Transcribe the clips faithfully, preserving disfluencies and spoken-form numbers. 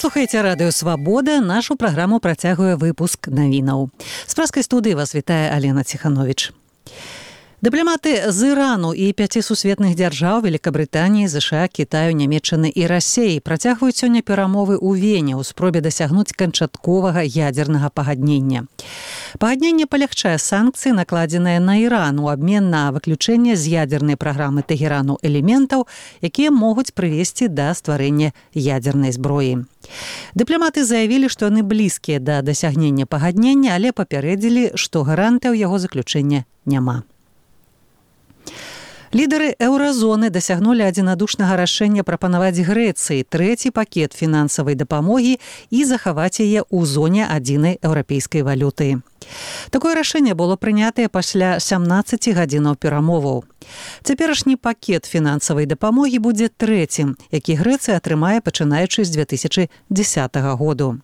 Слухаеце радыё «Свабода». Нашу праграму працягвае выпуск навінаў. З праскай студыі вас вітае Алена Ціхановіч. Дыпламаты з Ірану і пяці сусветных дзяржаў Великабрытаніі, ЗША, Кітаю, Нямецчыны і Расеі працягваюць сёння перамовы ў Вене ў спробе дасягнуць канчатковага ядзернага пагаднення. Пагадненне палягчае санкцыі, накладзеныя на Іран у абмен на выключэнне з ядзернай праграмы Тэгерану элементаў, якія могуць прывесці да стварэння ядзернай зброі. Дыпламаты заявілі, што яны блізкія да дасягнення пагаднення, але папярэдзілі, што гарантыяў яго заключэння няма. Лідары еўразоны дасягнулі адзінадушнага рашэння прапанаваць Грэцыі трэці пакет фінансавай дапамогі і захаваць яе ў зоне адзінай еўрапейскай валюты. Такое рашэнне было прынятае пасля сямнаццаці гадзінаў перамоваў. Цяперашні пакет фінансавай дапамогі будзе трэцім, які Грэцыя атрымае пачынаючы з дзве тысячы дзесятага году.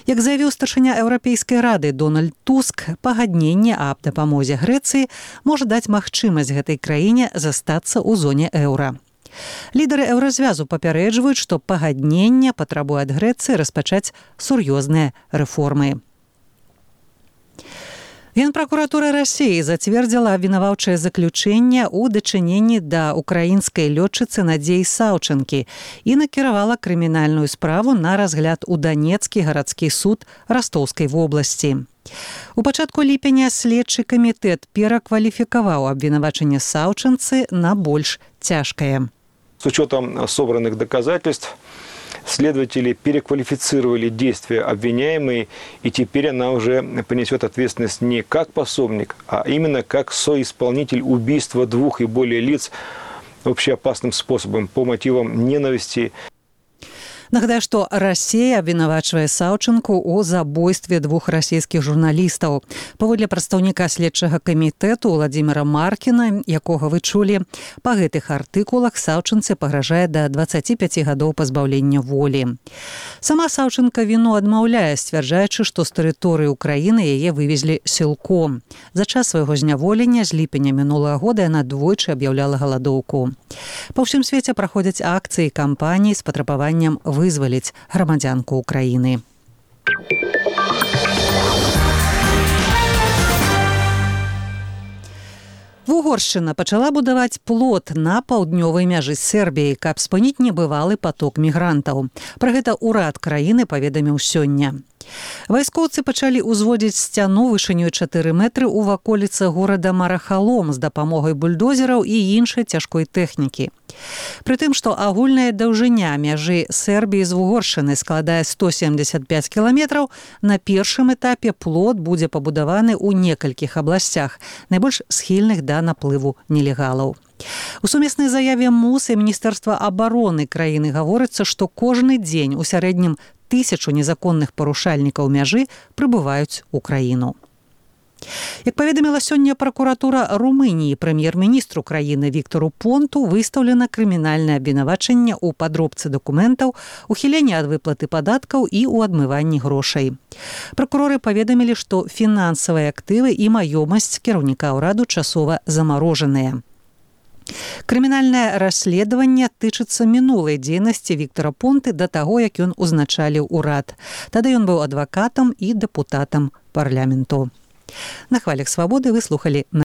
Як заявіў старшыня Еўрапейскай рады Дональд Туск, пагадненне аб дапамозе Грэцыі можа даць магчымасць гэтай краіне застацца ў зоне еўра. Лідары еўразвязу папярэджваюць, што пагадненне патрабуе ад Грэцыі распачаць сур'ёзныя рэформы. Генпракуратура Расеі зацвердзіла абвінаваўчае заключэнне ў дачыненні да украінскай лётчыцы Надзеі Саўчанкі і накіравала крымінальную справу на разгляд у Данецкі гарадскі суд Растоўскай вобласці. У пачатку ліпеня следчы камітэт перакваліфікаваў абвінавачанне Саўчанцы на больш цяжкае. С учетом собранных доказательств следователи переквалифицировали действия обвиняемой, и теперь она уже понесет ответственность не как пособник, а именно как соисполнитель убийства двух и более лиц общеопасным способом по мотивам ненависти. Нагадаю, што Расея абвінавачвае Саўчанку ў забойстве двух расійскіх журналістаў. Паводле прадстаўніка следчага камітэту Владзіміра Маркіна, якога вы чулі, па гэтых артыкулах Саўчанцы пагражае да дваццаці пяці гадоў пазбаўлення волі. Сама Саўчанка віну адмаўляе, сцвярджаючы, што з тэрыторыі Украіны яе вывезлі сілком. За час свайго зняволення з ліпеня мінулага года яна двойчы аб'яўляла галадоўку. Па ўсім свеце праходзяць акцыі і кампаніі з патрабаваннем вызваліць грамадзянку Украіны. Угоршчына пачала будаваць плот на паўднёвай мяжы з Сербіяй, каб спыніць небывалы паток мігрантаў. Пра гэта ўрад краіны паведаміў сёння. Вайскоўцы пачалі ўзводзіць сцяну вышынёй чатыры метры ў ваколіцах горада Марахалом з дапамогай бульдозераў і іншай цяжкой тэхнікі. Прытым, што агульная даўжыня мяжы Сербіі з Угоршчынай складае сто семдзесят пяць кіламетраў, на першым этапе плот будзе пабудаваны ў некалькіх абласцях, найбольш схільных да наплыву нелегалаў. У сумеснай заяве МУС і Міністэрства абароны краіны гаворыцца, што кожны дзень у сярэднім тысячу незаконных парушальнікаў мяжы прыбываюць у краіну. Як паведаміла сёння пракуратура Румыніі, прэм'ер-міністру краіны Віктору Понту выстаўлена крымінальнае абвінавачанне ў падробцы дакументаў, ухіленні ад выплаты падаткаў і ў адмыванні грошай. Пракуроры паведамілі, што фінансавыя актывы і маёмасць кіраўніка ўраду часова замарожаныя. Крымінальнае расследаванне тычыцца мінулай дзейнасці Віктора Понты да таго, як ён узначаліў урад. Тады ён быў адвакатам і дэпутатам парламенту. На хвалях «Свабоды» вы слухалі